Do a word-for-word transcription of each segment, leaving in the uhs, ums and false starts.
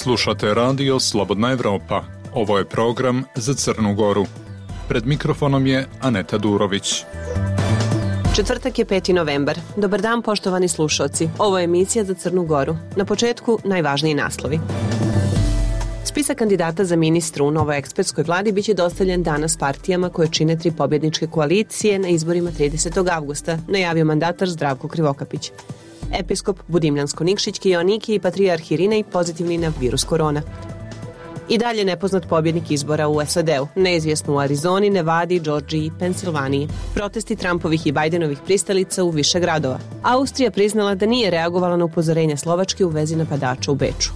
Slušate radio Slobodna Evropa. Ovo je program za Crnu Goru. Pred mikrofonom je Aneta Durović. Četvrtak je peti novembar. Dobar dan, poštovani slušalci. Ovo je emisija za Crnu Goru. Na početku najvažniji naslovi. Spisak kandidata za ministra u novoj ekspertskoj vladi biće dostavljen danas partijama koje čine tri pobjedničke koalicije na izborima tridesetog avgusta, najavio mandatar Zdravko Krivokapić. Episkop Budimljansko-Nikšićki Joannikije i patrijarh Irinej pozitivni na virus korona. I dalje nepoznat pobjednik izbora u S A D-u, neizvjesno u Arizoni, Nevadi, Džordžiji i Pensilvaniji. Protesti Trumpovih i Bajdenovih pristalica u više gradova. Austrija priznala da nije reagovala na upozorenje Slovačke u vezi napadača u Beču.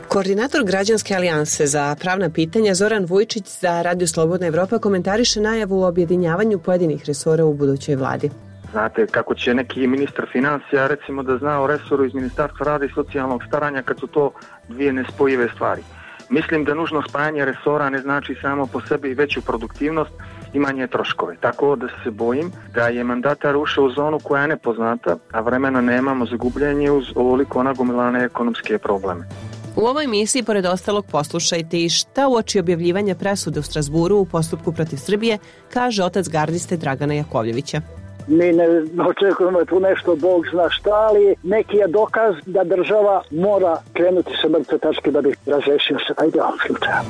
Koordinator Građanske alijanse za pravna pitanja Zoran Vujčić za Radio Slobodna Evropa komentariše najavu o objedinjavanju pojedinih resora u budućoj vladi. Znate, kako će neki ministar financija recimo da zna o resoru iz Ministarstva rada i socijalnog staranja kad su to dvije nespojive stvari. Mislim da nužno spajanje resora ne znači samo po sebi veću produktivnost i manje troškove. Tako da se bojim da je mandatar ušao u zonu koja je nepoznata, a vremena nemamo za gubljenje uz ovoliko nagomilane ekonomske probleme. U ovoj emisiji, pored ostalog, poslušajte i šta uoči objavljivanja presude u Strasburu u postupku protiv Srbije kaže otac gardiste Dragana Jakovljevića. Mi ne očekujemo tu nešto, Bog zna šta, ali neki je dokaz da država mora krenuti sa mrtve tačke da bi razrešio se taj deo slučaja.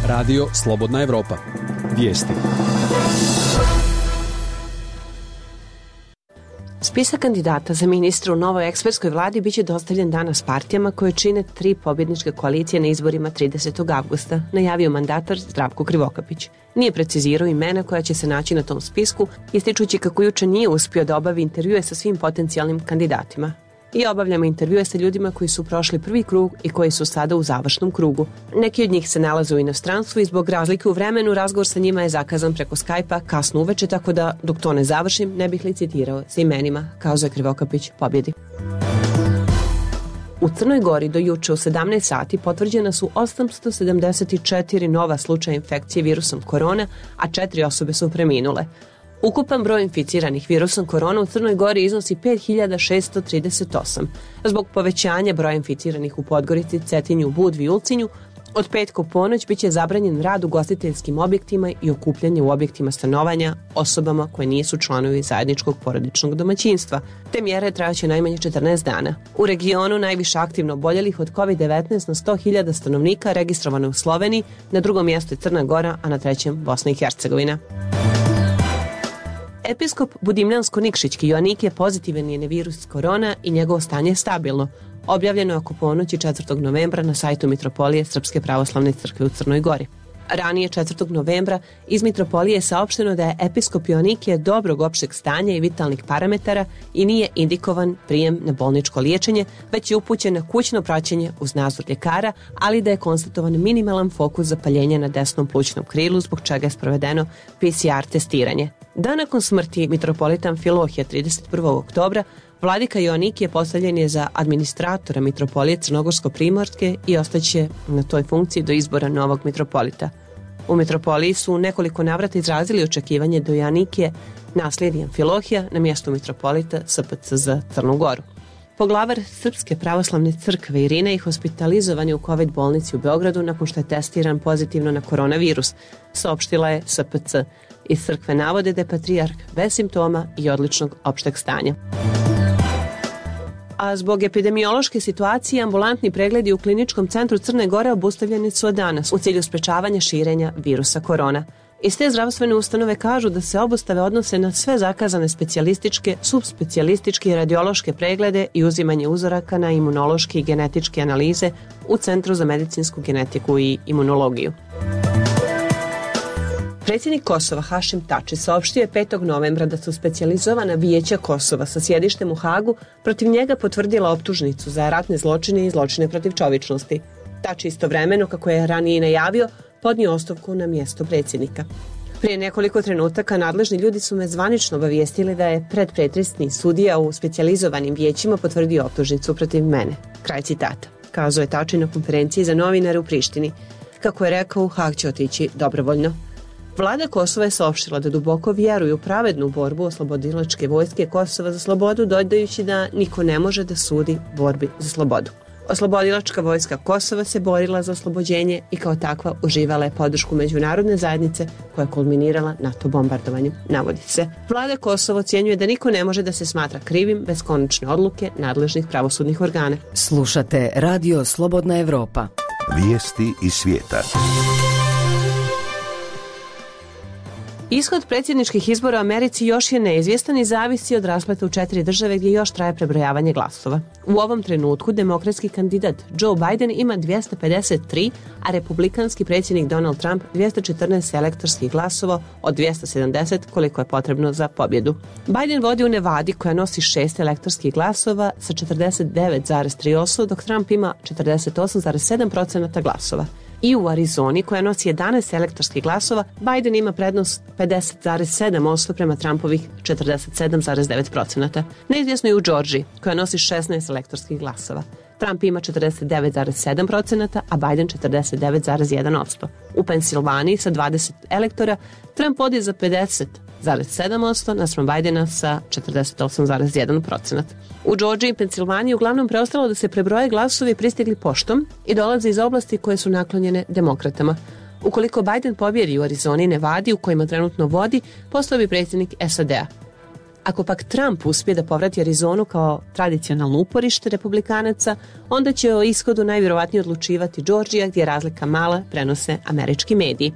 Radio Slobodna Evropa. Vijesti. Spisak kandidata za ministra u novoj ekspertskoj vladi biće dostavljen danas partijama koje čine tri pobjedničke koalicije na izborima tridesetog avgusta, najavio mandatar Zdravko Krivokapić. Nije precizirao imena koja će se naći na tom spisku, ističući kako juče nije uspio da obavi intervjue sa svim potencijalnim kandidatima. I obavljamo intervjue sa ljudima koji su prošli prvi krug i koji su sada u završnom krugu. Neki od njih se nalaze u inostranstvu i zbog razlike u vremenu razgovor sa njima je zakazan preko Skype-a kasno uveče, tako da dok to ne završim ne bih licitirao sa imenima, kazao je Krivokapić pobjedi. U Crnoj Gori do juče u sedamnaest sati potvrđena su osamsto sedamdeset četiri nova slučaja infekcije virusom korona, a četiri osobe su preminule. Ukupan broj inficiranih virusom korona u Crnoj Gori iznosi pet hiljada šessto trideset osam. Zbog povećanja broja inficiranih u Podgorici, Cetinju, Budvi i Ulcinju, od petka u ponoć biće zabranjen rad u ugostiteljskim objektima i okupljanje u objektima stanovanja osobama koje nisu članovi zajedničkog porodičnog domaćinstva. Te mjere trajaće najmanje četrnaest dana. U regionu najviše aktivno oboljelih od kovid devetnaest na sto hiljada stanovnika registrovano u Sloveniji, na drugom mjestu je Crna Gora, a na trećem Bosna i Hercegovina. Episkop Budimljansko-Nikšićki Joannikije pozitivan je na virus korona i njegovo stanje je stabilno. Objavljeno je oko ponoći četvrtog novembra na sajtu Mitropolije Srpske pravoslavne crkve u Crnoj Gori. Ranije četvrtog novembra iz Mitropolije je saopšteno da je episkop Joannikije dobrog opšteg stanja i vitalnih parametara i nije indikovan prijem na bolničko liječenje, već je upućen na kućno praćenje uz nadzor ljekara, ali da je konstatovan minimalan fokus zapaljenja na desnom plućnom krilu, zbog čega je sprovedeno P C R testiranje. Dan nakon smrti mitropolitan Filohija trideset prvog oktobra, vladika Joannikije postavljen je za administratora mitropolije Crnogorsko-Primorske i ostaće na toj funkciji do izbora novog mitropolita. U mitropoliji su u nekoliko navrata izrazili očekivanje do Joannikije naslijedi Amfilohija na mjestu mitropolita S P C za Crnu Goru. Poglavar Srpske pravoslavne crkve Irinej hospitalizovan je u COVID bolnici u Beogradu nakon što je testiran pozitivno na koronavirus, saopštila je S P C. Iz crkve navode da je patrijarh bez simptoma i odličnog opšteg stanja. A zbog epidemiološke situacije ambulantni pregledi u Kliničkom centru Crne Gore obustavljeni su od danas u cilju sprečavanja širenja virusa korona. Iz te zdravstvene ustanove kažu da se obustave odnose na sve zakazane specijalističke, subspecijalističke i radiološke preglede i uzimanje uzoraka na imunološke i genetičke analize u Centru za medicinsku genetiku i imunologiju. Predsjednik Kosova Hašim Tači saopštio je petog novembra da su specijalizovana vijeća Kosova sa sjedištem u Hagu protiv njega potvrdila optužnicu za ratne zločine i zločine protiv čovječnosti. Tači istovremeno, kako je ranije najavio, podnio ostavku na mjesto predsjednika. Prije nekoliko trenutaka nadležni ljudi su me zvanično obavijestili da je predpretresni sudija u specijalizovanim vijećima potvrdio optužnicu protiv mene. Kraj citata, kazao je Tači na konferenciji za novinare u Prištini. Kako je rekao, u Hag će otići dobrovoljno. Vlada Kosova je saopštila da duboko vjeruju u pravednu borbu oslobodilačke vojske Kosova za slobodu, dodajući da niko ne može da sudi borbi za slobodu. Oslobodilačka vojska Kosova se borila za oslobođenje i kao takva uživala je podršku međunarodne zajednice koja je kulminirala NATO bombardovanjem, navodi se. Vlada Kosova ocjenjuje da niko ne može da se smatra krivim bez konačne odluke nadležnih pravosudnih organa. Slušate Radio Slobodna Evropa. Vijesti iz svijeta. Ishod predsjedničkih izbora u Americi još je neizvjestan i zavisi od raspleta u četiri države gdje još traje prebrojavanje glasova. U ovom trenutku demokratski kandidat Joe Biden ima dvjesto pedeset tri, a republikanski predsjednik Donald Trump dvjesto četrnaest elektorskih glasova od dvjesto sedamdeset koliko je potrebno za pobjedu. Biden vodi u Nevadi koja nosi šest elektorskih glasova sa četrdeset devet zarez tri posto, dok Trump ima četrdeset osam zarez sedam posto glasova. I u Arizoni, koja nosi jedanaest elektorskih glasova, Biden ima prednost pedeset zarez sedam posto prema Trumpovih četrdeset sedam zarez devet posto. Neizvjesno je u Džordžiji, koja nosi šesnaest elektorskih glasova. Trump ima četrdeset devet zarez sedam posto, a Biden četrdeset devet zarez jedan posto. U Pensilvaniji sa dvadeset elektora Trump vodi za pedeset zarez sedam posto naspram Bidena sa četrdeset osam zarez jedan posto. U Džordžiji i Pensilvaniji uglavnom preostalo da se prebroje glasovi pristigli poštom i dolaze iz oblasti koje su naklonjene demokratama. Ukoliko Biden pobjedi u Arizoni i Nevadi, u kojima trenutno vodi, postao bi predsjednik S A D-a. Ako pak Trump uspije da povrati Arizonu kao tradicionalno uporište republikanaca, onda će o ishodu najvjerovatnije odlučivati Džordžija, gdje je razlika mala, prenose američki mediji.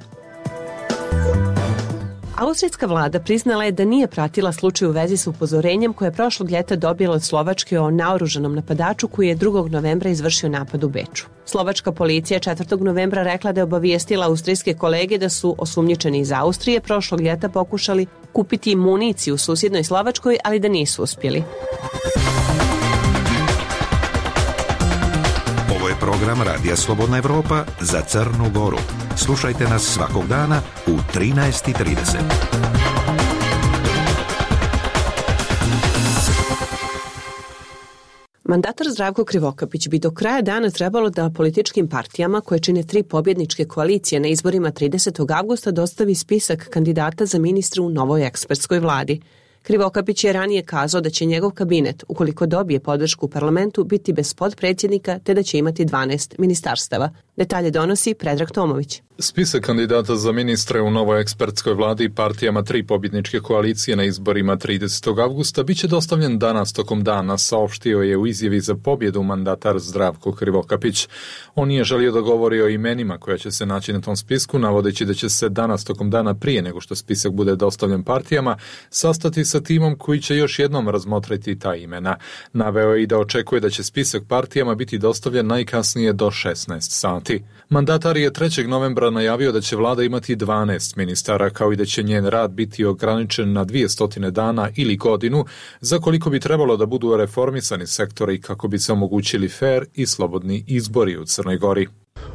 Austrijska vlada priznala je da nije pratila slučaj u vezi s upozorenjem koje je prošlog ljeta dobila od Slovačke o naoružanom napadaču koji je drugog novembra izvršio napad u Beču. Slovačka policija je četvrtog novembra rekla da je obavijestila austrijske kolege da su osumnjičeni iz Austrije prošlog ljeta pokušali kupiti municiju u susjednoj Slovačkoj, ali da nisu uspjeli. Ovo je program Radija Slobodna Evropa za Crnu Goru. Slušajte nas svakog dana u trinaest i trideset. Mandatar Zdravko Krivokapić bi do kraja dana trebalo da političkim partijama koje čine tri pobjedničke koalicije na izborima tridesetog avgusta dostavi spisak kandidata za ministra u novoj ekspertskoj vladi. Krivokapić je ranije kazao da će njegov kabinet, ukoliko dobije podršku u parlamentu, biti bez podpredsjednika te da će imati dvanaest ministarstava. Detalje donosi Predrag Tomović. Spisak kandidata za ministre u novoj ekspertskoj vladi i partijama tri pobjedničke koalicije na izborima tridesetog avgusta biće dostavljen danas tokom dana, saopštio je u izjavi za pobjedu mandatar Zdravko Krivokapić. On nije želio da govori o imenima koja će se naći na tom spisku, navodeći da će se danas tokom dana prije nego što spisak bude dostavljen partijama sastati sa timom koji će još jednom razmotriti ta imena. Naveo je i da očekuje da će spisak partijama biti dostavljen najkasnije do šesnaest sati. Mandatar je trećeg novembra najavio da će vlada imati dvanaest ministara, kao i da će njen rad biti ograničen na dvjesto dana ili godinu, za koliko bi trebalo da budu reformisani sektori kako bi se omogućili fer i slobodni izbori u Crnoj Gori.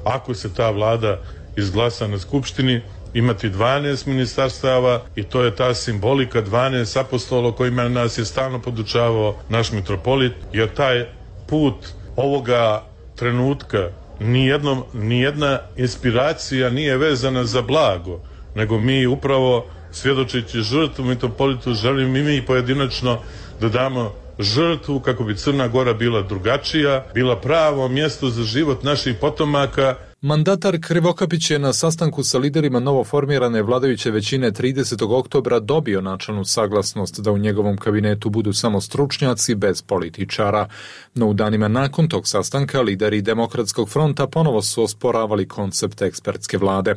Ako se ta vlada izglasa na skupštini, imati dvanaest ministarstava i to je ta simbolika dvanaest apostola kojima nas je stalno podučavao naš mitropolit, jer taj put ovoga trenutka nijednom, nijedna inspiracija nije vezana za blago, nego mi upravo svjedočeći žrtvu mitropolitu želim i mi pojedinačno da damo žrtvu kako bi Crna Gora bila drugačija, bila pravo mjesto za život naših potomaka. Mandatar Krivokapić je na sastanku sa liderima novoformirane vladajuće većine tridesetog oktobra dobio načelnu saglasnost da u njegovom kabinetu budu samo stručnjaci bez političara. No u danima nakon tog sastanka lideri Demokratskog fronta ponovo su osporavali koncept ekspertske vlade.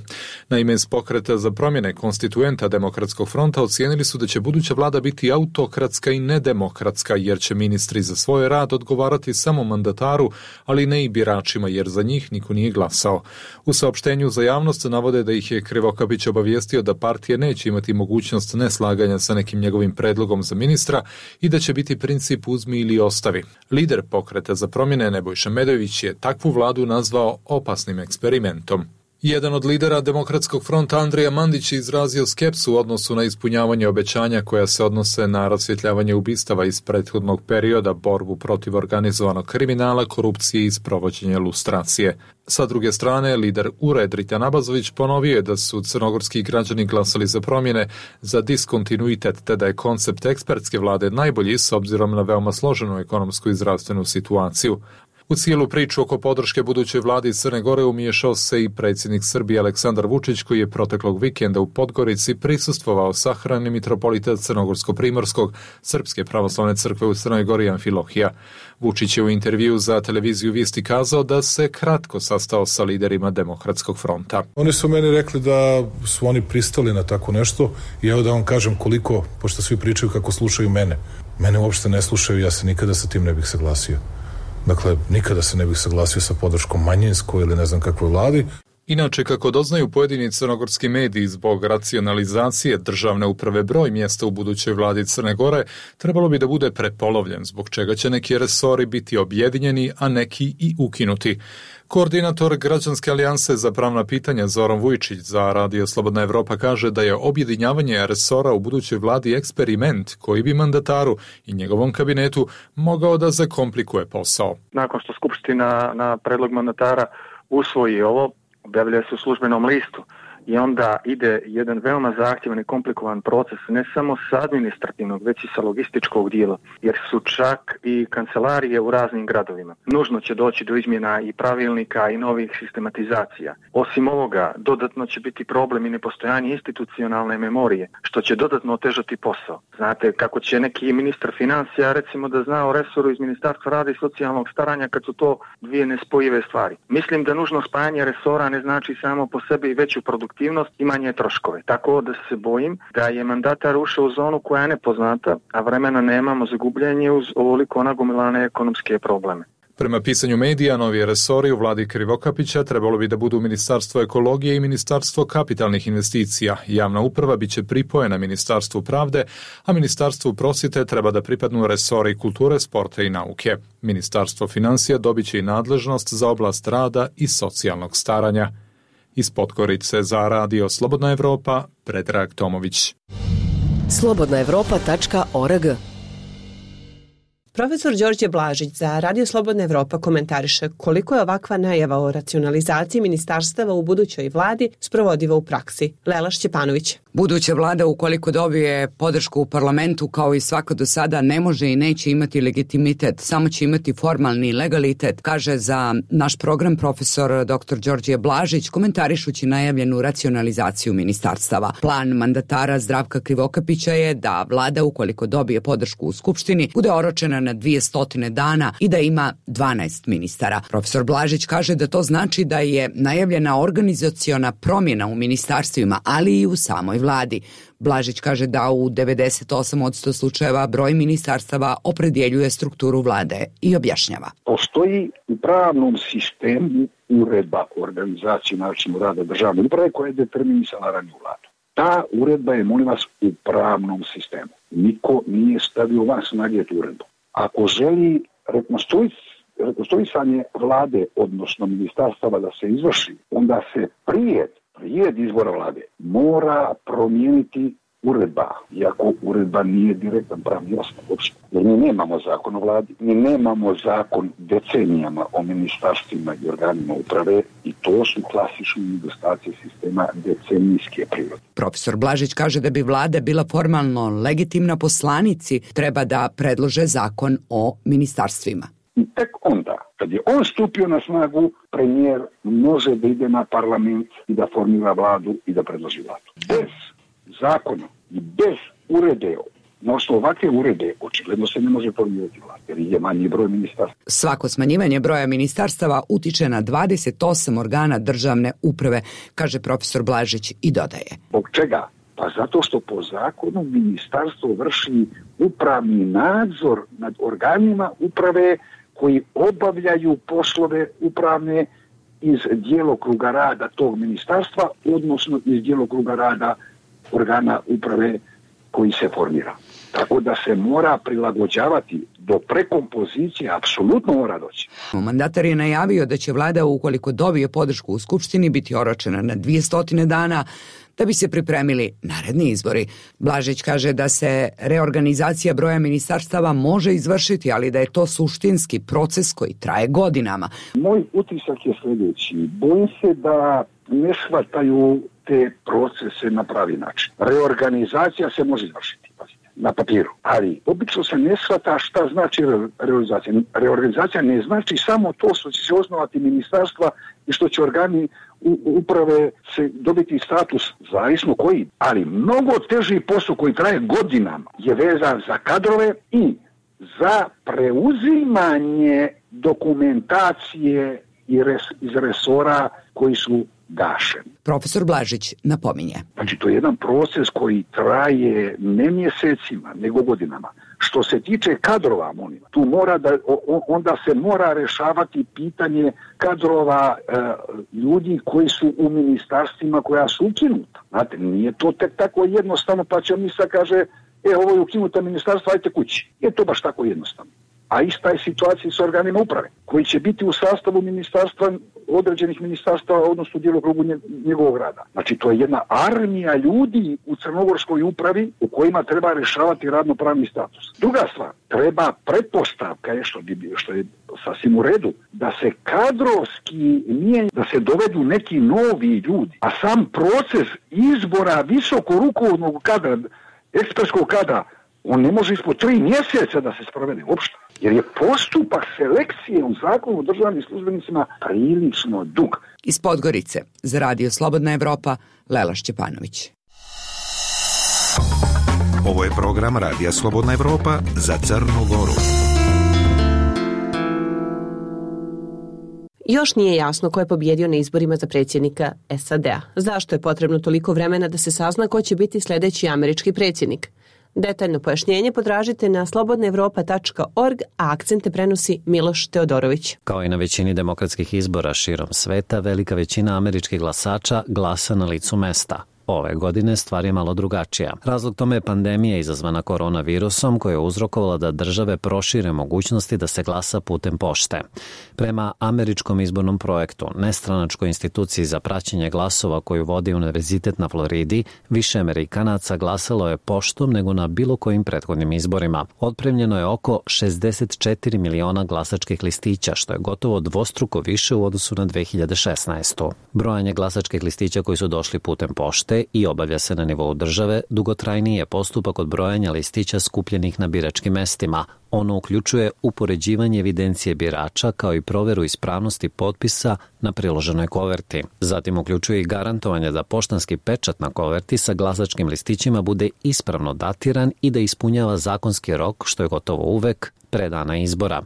Naime, iz pokreta za promjene konstituenta Demokratskog fronta ocijenili su da će buduća vlada biti autokratska i nedemokratska, jer će ministri za svoj rad odgovarati samo mandataru, ali ne i biračima, jer za njih niko nije glasao. U saopštenju za javnost navode da ih je Krivokapić obavijestio da partije neće imati mogućnost neslaganja sa nekim njegovim predlogom za ministra i da će biti princip uzmi ili ostavi. Lider pokreta za promjene Nebojša Medović je takvu vladu nazvao opasnim eksperimentom. Jedan od lidera Demokratskog fronta Andrija Mandić je izrazio skepsu u odnosu na ispunjavanje obećanja koja se odnose na rasvjetljavanje ubistava iz prethodnog perioda, borbu protiv organizovanog kriminala, korupcije i sprovođenje lustracije. Sa druge strane, lider U R E Dritan Abazović ponovio je da su crnogorski građani glasali za promjene, za diskontinuitet, te da je koncept ekspertske vlade najbolji s obzirom na veoma složenu ekonomsku i zdravstvenu situaciju. U cijelu priču oko podrške budućoj vladi Crne Gore umiješao se i predsjednik Srbije Aleksandar Vučić, koji je proteklog vikenda u Podgorici prisustvovao sahrani mitropolita Crnogorsko-primorskog Srpske pravoslavne crkve u Crnoj Gori Amfilohija. Vučić je u intervju za televiziju Vijesti kazao da se kratko sastao sa liderima Demokratskog fronta. Oni su meni rekli da su oni pristali na tako nešto i evo da vam kažem koliko, pošto svi pričaju kako slušaju mene. Mene uopšte ne slušaju, ja se nikada sa tim ne bih saglasio. Dakle, nikada se ne bih saglasio sa podrškom manjinskoj ili ne znam kakvoj vladi. Inače, kako doznaju pojedini crnogorski mediji, zbog racionalizacije državne uprave broj mjesta u budućoj vladi Crne Gore trebalo bi da bude prepolovljen, zbog čega će neki resori biti objedinjeni, a neki i ukinuti. Koordinator Građanske alijanse za pravna pitanja Zoran Vujčić za Radio Slobodna Evropa kaže da je objedinjavanje resora u budućoj vladi eksperiment koji bi mandataru i njegovom kabinetu mogao da zakomplikuje posao. Nakon što Skupština na predlog mandatara usvoji ovo, objavljuje se u službenom listu i onda ide jedan veoma zahtjevan i komplikovan proces, ne samo sa administrativnog, već i sa logističkog dijela, jer su čak i kancelarije u raznim gradovima. Nužno će doći do izmjena i pravilnika i novih sistematizacija. Osim ovoga, dodatno će biti problem i nepostojanje institucionalne memorije, što će dodatno otežati posao. Znate, kako će neki ministar financija, recimo, da zna o resoru iz Ministarstva rada i socijalnog staranja kad su to dvije nespojive stvari. Mislim da nužno spajanje resora ne znači samo po sebi veću produktivnost i manje troškove. Tako da se bojim da je mandatar ušao u zonu koja je nepoznata, a vremena nemamo za gubljenje uz ovoliko nagomilane ekonomske probleme. Prema pisanju medija, novi resori u vladi Krivokapića trebalo bi da budu Ministarstvo ekologije i Ministarstvo kapitalnih investicija. Javna uprava biće pripojena Ministarstvu pravde, a Ministarstvu prosvjete treba da pripadnu resori kulture, sporta i nauke. Ministarstvo financija dobiće i nadležnost za oblast rada i socijalnog staranja. Iz Podgorice za Radio Slobodna Evropa, Predrag Tomović. slobodna evropa tačka org. Profesor Đorđe Blažić za Radio Slobodna Evropa komentariše koliko je ovakva najava o racionalizaciji ministarstava u budućoj vladi sprovodiva u praksi. Lela Šćepanović. Buduća vlada, ukoliko dobije podršku u parlamentu, kao i svako do sada, ne može i neće imati legitimitet, samo će imati formalni legalitet, kaže za naš program profesor doktor Đorđe Blažić, komentarišući najavljenu racionalizaciju ministarstava. Plan mandatara Zdravka Krivokapića je da vlada, ukoliko dobije podršku u Skupštini, bude oročena na dvije stotine dana i da ima dvanaest ministara. Profesor Blažić kaže da to znači da je najavljena organizaciona promjena u ministarstvima, ali i u samoj vladi. Blažić kaže da u devedeset osam posto slučajeva broj ministarstava opredjeljuje strukturu vlade i objašnjava. Postoji u pravnom sistemu uredba o organizaciji načinu rada državne uprave koja je determinisala raniju vladu. Ta uredba je, molim vas, u pravnom sistemu. Niko nije stavio van snage tu uredbu. Ako želi rekonstruisanje vlade, odnosno ministarstava da se izvrši, onda se prije, prije izbora vlade mora promijeniti uredba, iako uredba nije direktan pravni osnov uopšte. Jer mi nemamo zakon o vladi, mi nemamo zakon decenijama o ministarstvima i organima uprave i to su klasični nedostaci sistema decenijske prirode. Profesor Blažić kaže da bi vlada bila formalno legitimna, poslanici treba da predlože zakon o ministarstvima. I tek onda, kad je on stupio na snagu, premijer može da ide na parlament i da formira vladu i da predloži vladu. Bez zakona i bez urede, na osnovu ovakve urede, očigledno se ne može formirati vlada, jer je manji broj ministarstva. Svako smanjivanje broja ministarstava utiče na dvadeset osam organa državne uprave, kaže profesor Blažić i dodaje. Zbog čega? Pa zato što po zakonu ministarstvo vrši upravni nadzor nad organima uprave koji obavljaju poslove upravne iz djelokruga rada tog ministarstva, odnosno iz djelokruga rada organa uprave koji se formira. Tako da se mora prilagođavati do prekompozicije, apsolutno mora doći. Mandatar je najavio da će vlada, ukoliko dobije podršku u Skupštini, biti oročena na dvije stotine dana da bi se pripremili naredni izbori. Blažić kaže da se reorganizacija broja ministarstava može izvršiti, ali da je to suštinski proces koji traje godinama. Moj utisak je sljedeći. Bojim se da ne shvataju te procese na pravi način. Reorganizacija se može izvršiti. na papiru. Ali obično se ne shvata šta znači reorganizacija. Reorganizacija ne znači samo to što će se osnovati ministarstva i što će organi uprave se dobiti status zavisno koji. Ali mnogo teži posao koji traje godinama je vezan za kadrove i za preuzimanje dokumentacije iz resora koji su gašeni. Profesor Blažić napominje. Znači, to je jedan proces koji traje ne mjesecima, nego godinama. Što se tiče kadrova, molim, tu mora da, onda se mora rešavati pitanje kadrova e, ljudi koji su u ministarstvima koja su ukinuta. Znate, nije to tek tako jednostavno, pa će mi sad kaže, e, ovo je ukinuta ministarstva, ajte kući. Je to baš tako jednostavno. A ista je situacija s organima uprave, koji će biti u sastavu ministarstva, određenih ministarstva, odnosno djelokrugu njegovog rada. Znači, to je jedna armija ljudi u crnogorskoj upravi u kojima treba rešavati radnopravni status. Druga stvar, treba pretpostavka je što, što je sasvim u redu, da se kadrovski mijenja, da se dovedu neki novi ljudi, a sam proces izbora visoko rukovodnog kadra, ekspertskog kadra, on ne može ispod tri mjeseca da se sprovede uopšte. Jer je postupak selekcije u zakonu o državnim službenicima prilično dug. Iz Podgorice, za Radio Slobodna Evropa, Lela Šćepanović. Ovo je program Radija Slobodna Evropa za Crnu Goru. Još nije jasno ko je pobjedio na izborima za predsjednika S A D-a. Zašto je potrebno toliko vremena da se sazna ko će biti sljedeći američki predsjednik? Detaljno pojašnjenje potražite na slobodna evropa tačka org, a akcente prenosi Miloš Teodorović. Kao i na većini demokratskih izbora širom sveta, velika većina američkih glasača glasa na licu mesta. Ove godine stvar je malo drugačija. Razlog tome je pandemija izazvana koronavirusom koja je uzrokovala da države prošire mogućnosti da se glasa putem pošte. Prema američkom izbornom projektu, nestranačkoj instituciji za praćenje glasova koju vodi Univerzitet na Floridi, više Amerikanaca glasalo je poštom nego na bilo kojim prethodnim izborima. Otpremljeno je oko šezdeset četiri miliona glasačkih listića, što je gotovo dvostruko više u odnosu na dve hiljade šesnaestu. Brojanje glasačkih listića koji su došli putem pošte i obavlja se na nivou države, dugotrajniji je postupak od brojanja listića skupljenih na biračkim mestima. Ono uključuje upoređivanje evidencije birača kao i proveru ispravnosti potpisa na priloženoj koverti. Zatim uključuje i garantovanje da poštanski pečat na koverti sa glasačkim listićima bude ispravno datiran i da ispunjava zakonski rok, što je gotovo uvek pre dana izbora.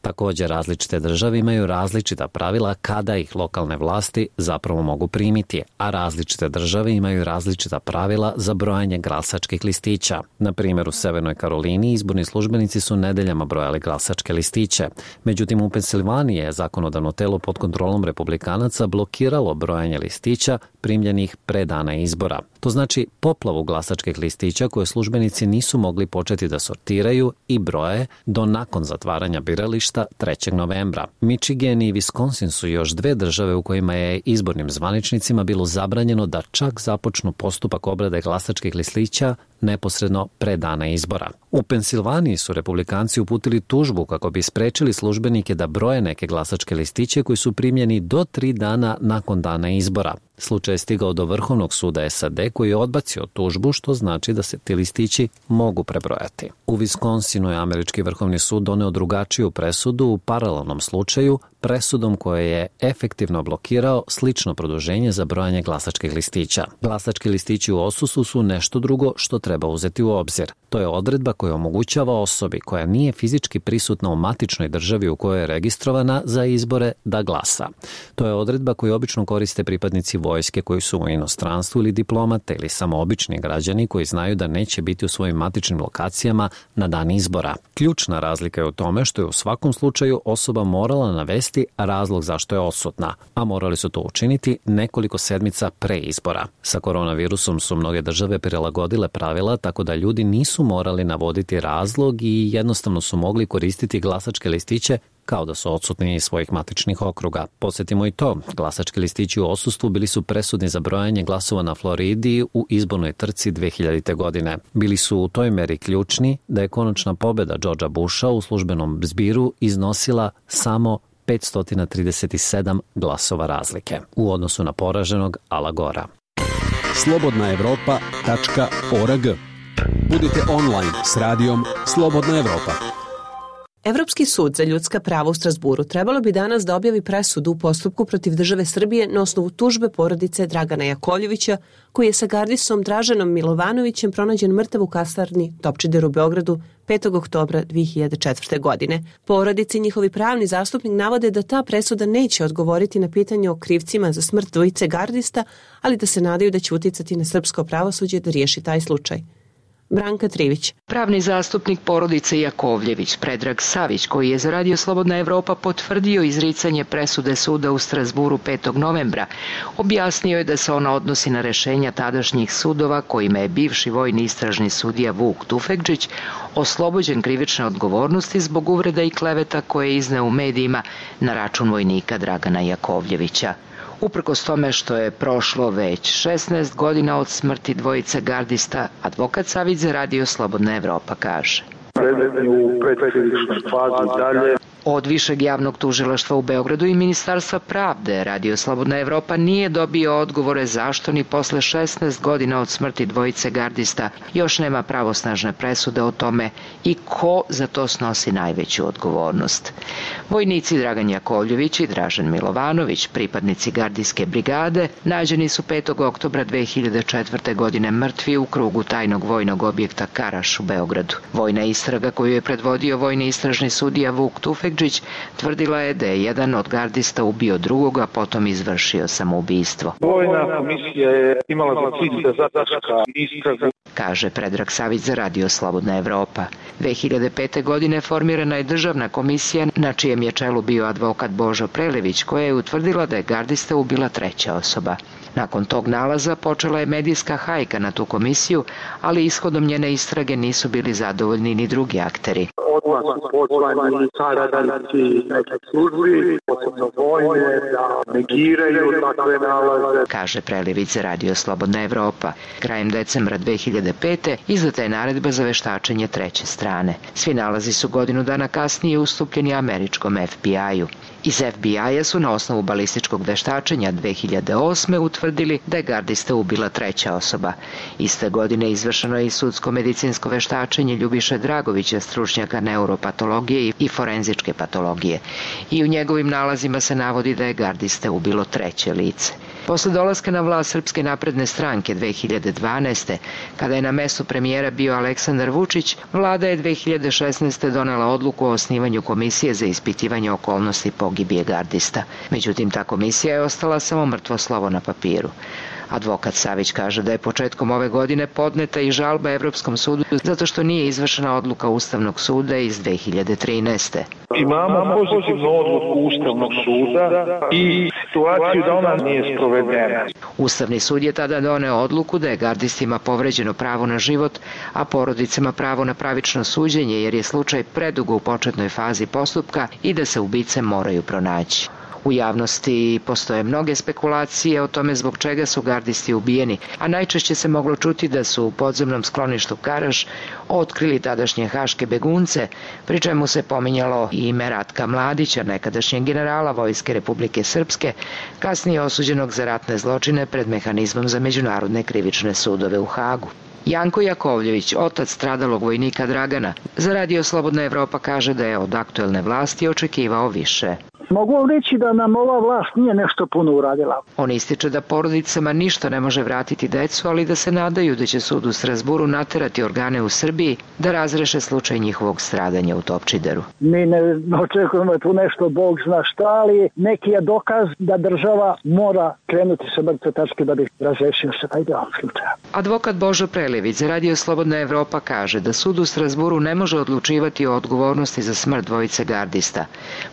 Također, različite države imaju različita pravila kada ih lokalne vlasti zapravo mogu primiti, a različite države imaju različita pravila za brojanje glasačkih listića. Na primjer, u Severnoj Karolini izborni službenici su nedeljama brojali glasačke listiće. Međutim, u Pensilvaniji je zakonodavno telo pod kontrolom republikanaca blokiralo brojanje listića primljenih pre dana izbora. To znači poplavu glasačkih listića koje službenici nisu mogli početi da sortiraju i broje do nakon zatvaranja birališta trećeg novembra. Michigan i Wisconsin su još dve države u kojima je izbornim zvaničnicima bilo zabranjeno da čak započnu postupak obrade glasačkih listića neposredno pre dana izbora. U Pensilvaniji su republikanci uputili tužbu kako bi sprečili službenike da broje neke glasačke listiće koji su primljeni do tri dana nakon dana izbora. Slučaj je stigao do Vrhovnog suda S A D koji je odbacio tužbu, što znači da se ti listići mogu prebrojati. U Wisconsinu je američki Vrhovni sud doneo drugačiju presudu u paralelnom slučaju, presudom koje je efektivno blokirao slično produženje za brojanje glasačkih listića. Glasački listići u odsustvu su nešto drugo što treba uzeti u obzir. To je odredba koja omogućava osobi koja nije fizički prisutna u matičnoj državi u kojoj je registrovana za izbore da glasa. To je odredba koju obično koriste pripadnici vojske koji su u inostranstvu ili diplomate ili samo obični građani koji znaju da neće biti u svojim matičnim lokacijama na dan izbora. Ključna razlika je u tome što je u svakom slučaju osoba morala navesti razlog zašto je odsutna, a morali su to učiniti nekoliko sedmica pre izbora. Sa koronavirusom su mnoge države prilagodile pravila tako da ljudi nisu morali navoditi razlog i jednostavno su mogli koristiti glasačke listiće kao da su odsutni iz svojih matičnih okruga. Podsjetimo i to, glasački listići u odsustvu bili su presudni za brojanje glasova na Floridi u izbornoj trci dve hiljadite. godine. Bili su u toj meri ključni da je konačna pobjeda Georgea Busha u službenom zbiru iznosila samo petsto trideset sedam glasova razlike u odnosu na poraženog Ala Gora. slobodna evropa tačka org Budite online s radijom Slobodna Evropa. Evropski sud za ljudska prava u Strazburu trebalo bi danas da objavi presudu u postupku protiv države Srbije na osnovu tužbe porodice Dragana Jakovljevića, koji je sa gardisom Draženom Milovanovićem pronađen mrtav u kasarni Topčider u Beogradu petog oktobra dve hiljade četvrte. godine. Porodici i njihovi pravni zastupnik navode da ta presuda neće odgovoriti na pitanje o krivcima za smrt dvojice gardista, ali da se nadaju da će uticati na srpsko pravosuđe da riješi taj slučaj. Branka Trivić. Pravni zastupnik porodice Jakovljević, Predrag Savić, koji je za Radio Slobodna Evropa potvrdio izricanje presude suda u Strazburu petog novembra, objasnio je da se ona odnosi na rešenja tadašnjih sudova kojima je bivši vojni istražni sudija Vuk Tufekdžić oslobođen krivične odgovornosti zbog uvreda i kleveta koje je izneo u medijima na račun vojnika Dragana Jakovljevića. Uprkos tome što je prošlo već šesnaest godina od smrti dvojice gardista, advokat Savić za Radio Slobodna Evropa kaže: Predmet u predkrivičnoj fazi dalje. Od Višeg javnog tužilaštva u Beogradu i Ministarstva pravde Radio Slobodna Evropa nije dobio odgovore zašto ni posle šesnaest godina od smrti dvojice gardista još nema pravosnažne presude o tome i ko za to snosi najveću odgovornost. Vojnici Dragan Jakovljević i Dražen Milovanović, pripadnici gardijske brigade, nađeni su petog oktobra dve hiljade četvrte. godine mrtvi u krugu tajnog vojnog objekta Karaš u Beogradu. Vojna istraga koju je predvodio vojni istražni sudija Vuk Tufekdžić tvrdila je da je jedan od gardista ubio drugog, a potom izvršio samoubistvo. Vojna komisija je imala za cilj da zataška istragu, kaže Predrag Savić za Radio Slobodna Evropa. dve hiljade pete. godine formirana je državna komisija na čijem je čelu bio advokat Božo Prelević, koja je utvrdila da je gardista ubila treća osoba. Nakon tog nalaza počela je medijska hajka na tu komisiju, ali ishodom njene istrage nisu bili zadovoljni ni drugi akteri. Odmah su pozvani saradnici nekih službi, posebno vojne, da negiraju takve nalaze, kaže Prelević za Radio Slobodna Evropa. Krajem decembra dve hiljade pete. izdata je naredba za veštačenje treće strane. Svi nalazi su godinu dana kasnije ustupljeni američkom F B I-u. Iz F B I-a su na osnovu balističkog veštačenja dve hiljade osme. utvrdili da je gardista ubila treća osoba. Iste godine izvršeno je i sudsko-medicinsko veštačenje Ljubiše Dragovića, stručnjaka neuropatologije i forenzičke patologije. I u njegovim nalazima se navodi da je gardista ubilo treće lice. Posle dolaska na vlast Srpske napredne stranke dve hiljade dvanaeste. kada je na mestu premijera bio Aleksandar Vučić, vlada je dve hiljade šesnaeste. donela odluku o osnivanju komisije za ispitivanje okolnosti pogibije gardista. Međutim, ta komisija je ostala samo mrtvo slovo na papiru. Advokat Savić kaže da je početkom ove godine podneta i žalba Evropskom sudu zato što nije izvršena odluka Ustavnog suda iz dve hiljade trinaeste. Imamo pozitivnu odluku Ustavnog suda i situaciju da ona nije sprovedena. Ustavni sud je tada doneo odluku da je gardistima povređeno pravo na život, a porodicama pravo na pravično suđenje jer je slučaj predugo u početnoj fazi postupka i da se ubice moraju pronaći. U javnosti postoje mnoge spekulacije o tome zbog čega su gardisti ubijeni, a najčešće se moglo čuti da su u podzemnom skloništu Karaš otkrili tadašnje haške begunce, pri čemu se pominjalo i ime Ratka Mladića, nekadašnjeg generala Vojske Republike Srpske, kasnije osuđenog za ratne zločine pred mehanizmom za međunarodne krivične sudove u Hagu. Janko Jakovljević, otac stradalog vojnika Dragana, za Radio Slobodna Evropa kaže da je od aktuelne vlasti očekivao više. Mogu vam reći da nam ova vlast nije nešto puno uradila. On ističe da porodicama ništa ne može vratiti decu, ali da se nadaju da će sud u Strazburu naterati organe u Srbiji da razreše slučaj njihovog stradanja u Topčideru. Mi ne očekujemo tu nešto, Bog zna šta, ali neki je dokaz da država mora krenuti sa mrtve tačke da bi razrešio se taj deo slučaja. Advokat Božo Prelević za Radio Slobodna Evropa kaže da sud u Strazburu ne može odlučivati o odgovornosti za smrt dvojice gardista.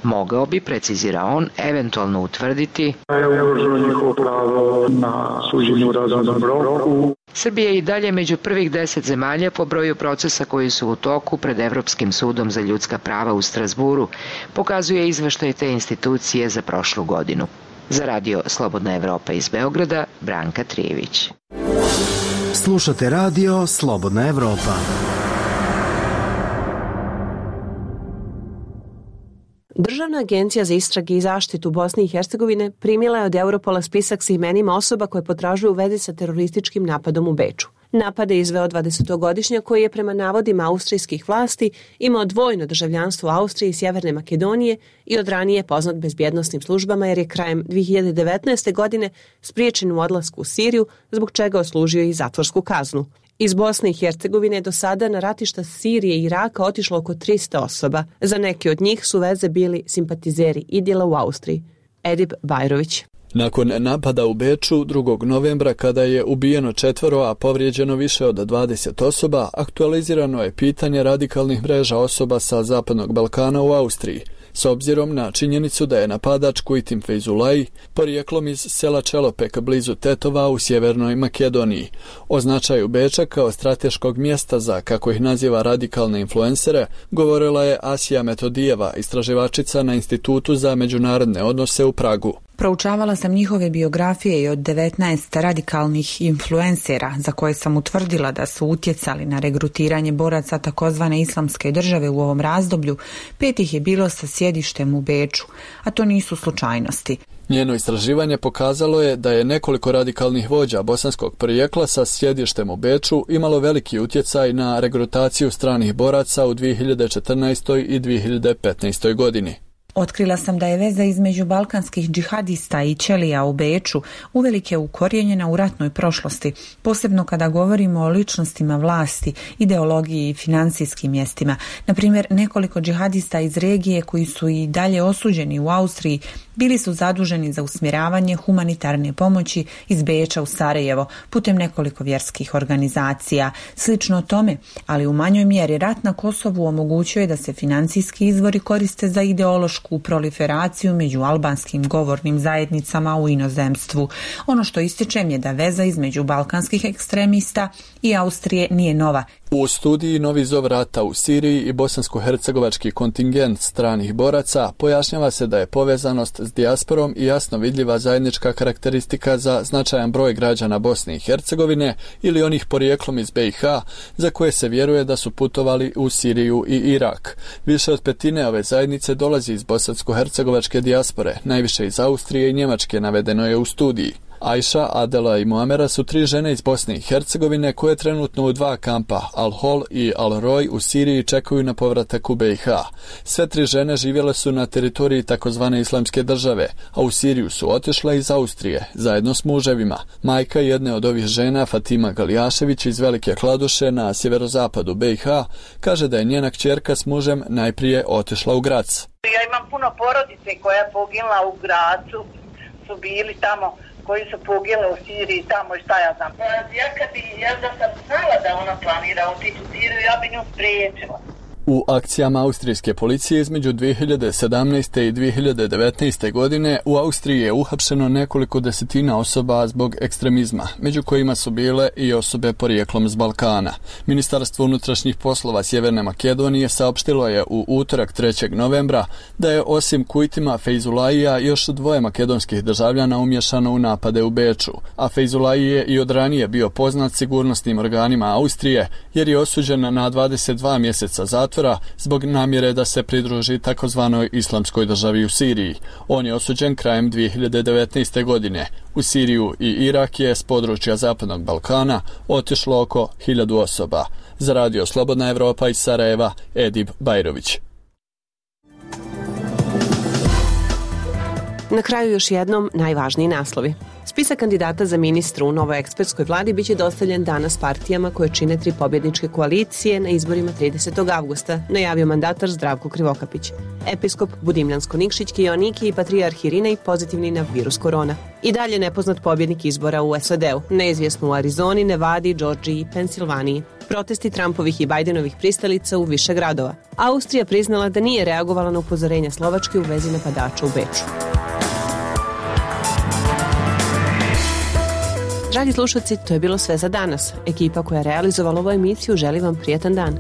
Mogao bi, precizira on, eventualno utvrditi na suđenju u razumnom roku. Srbija je i dalje među prvih deset zemalja po broju procesa koji su u toku pred Evropskim sudom za ljudska prava u Strazburu, pokazuje izveštaj te institucije za prošlu godinu. Za Radio Slobodna Evropa iz Beograda, Branka Trijević. Slušate Radio Slobodna Evropa. Državna agencija za istrage i zaštitu Bosne i Hercegovine primila je od Europola spisak sa imenima osoba koje potražuju u vezi sa terorističkim napadom u Beču. Napade izveo dvadesetogodišnjak koji je prema navodima austrijskih vlasti imao dvojno državljanstvo Austrije i Sjeverne Makedonije i od ranije poznat bezbjednosnim službama jer je krajem dvije hiljade devetnaeste. godine spriječen u odlasku u Siriju, zbog čega oslužio i zatvorsku kaznu. Iz Bosne i Hercegovine do sada na ratišta Sirije i Iraka otišlo oko trista osoba. Za neke od njih su veze bili simpatizeri Idila u Austriji. Edip Bajrović. Nakon napada u Beču drugog novembra kada je ubijeno četvoro, a povrijeđeno više od dvadeset osoba, aktualizirano je pitanje radikalnih mreža osoba sa Zapadnog Balkana u Austriji, s obzirom na činjenicu da je napadač Kujtim Fejzulaj porijeklom iz sela Čelopek blizu Tetova u Sjevernoj Makedoniji. O značaju Beča kao strateškog mjesta za, kako ih naziva, radikalne influencere govorila je Asija Metodijeva, istraživačica na Institutu za međunarodne odnose u Pragu. Proučavala sam njihove biografije i od devetnaest radikalnih influencera za koje sam utvrdila da su utjecali na regrutiranje boraca takozvane islamske države u ovom razdoblju, pet ih je bilo sa sjedištem u Beču, a to nisu slučajnosti. Njeno istraživanje pokazalo je da je nekoliko radikalnih vođa bosanskog porijekla sa sjedištem u Beču imalo veliki utjecaj na regrutaciju stranih boraca u dvije hiljade četrnaestoj. i dvije hiljade petnaestoj. godini. Otkrila sam da je veza između balkanskih džihadista i ćelija u Beču uvelike ukorijenjena u ratnoj prošlosti, posebno kada govorimo o ličnostima vlasti, ideologiji i financijskim mjestima. Na primjer, nekoliko džihadista iz regije koji su i dalje osuđeni u Austriji bili su zaduženi za usmjeravanje humanitarne pomoći iz Beča u Sarajevo putem nekoliko vjerskih organizacija. Slično tome, ali u manjoj mjeri, rat na Kosovu omogućuje da se financijski izvori koriste za ideološku proliferaciju među albanskim govornim zajednicama u inozemstvu. Ono što ističem je da veza između balkanskih ekstremista i Austrije nije nova. U studiji Novi zov rata u Siriji i bosansko-hercegovački kontingent stranih boraca pojašnjava se da je povezanost s dijasporom i jasno vidljiva zajednička karakteristika za značajan broj građana Bosne i Hercegovine ili onih porijeklom iz be i ha za koje se vjeruje da su putovali u Siriju i Irak. Više od petine ove zajednice dolazi iz bosansko-hercegovačke dijaspore, najviše iz Austrije i Njemačke, navedeno je u studiji. Ajša, Adela i Muamera su tri žene iz Bosne i Hercegovine koje trenutno u dva kampa, Al-Hol i Al-Roj u Siriji čekaju na povratak u be i ha. Sve tri žene živjele su na teritoriji takozvane islamske države, a u Siriju su otišle iz Austrije, zajedno s muževima. Majka jedne od ovih žena, Fatima Galijašević iz Velike Kladuše na sjeverozapadu be i ha, kaže da je njena kćerka s mužem najprije otišla u Grac. Ja imam puno porodice koja je poginula u Gracu, su bili tamo koji su pogile u Siriji, tamo i šta ja znam. Ja kad bi, ja da sam znala da ona planira otići u Siriju, ja bi nju spriječila. U akcijama austrijske policije između dvije hiljade sedamnaeste. i dvije hiljade devetnaeste. godine u Austriji je uhapšeno nekoliko desetina osoba zbog ekstremizma, među kojima su bile i osobe porijeklom s Balkana. Ministarstvo unutrašnjih poslova Sjeverne Makedonije saopštilo je u utorak trećeg novembra da je osim Kujtima Fejzulajija još dvoje makedonskih državljana umješano u napade u Beču, a Fejzulaj je i od ranije bio poznat sigurnosnim organima Austrije jer je osuđen na dvadeset dva mjeseca zatvora zbog namjere da se pridruži takozvanoj islamskoj državi u Siriji. On je osuđen krajem dvije hiljade devetnaeste. godine. U Siriju i Irak je s područja Zapadnog Balkana otišlo oko hiljadu osoba. Za radio Slobodna Evropa iz Sarajeva, Edip Bajrović. Na kraju još jednom najvažniji naslovi. Spisak kandidata za ministra u novoj ekspertskoj vladi biće dostavljen danas partijama koje čine tri pobjedničke koalicije na izborima tridesetog avgusta, najavio mandatar Zdravko Krivokapić. Episkop Budimljansko-Nikšićki Joannikij i patrijarh Irinej pozitivni na virus korona. I dalje nepoznat pobjednik izbora u es a de u, neizvjesno u Arizoni, Nevadi, Džordžiji i Pensilvaniji. Protesti Trumpovih i Bajdenovih pristalica u više gradova. Austrija priznala da nije reagovala na upozorenja Slovačke u vezi napadača u Beču. Dragi slušalci, to je bilo sve za danas. Ekipa koja je realizovala ovu emisiju želi vam prijetan dan.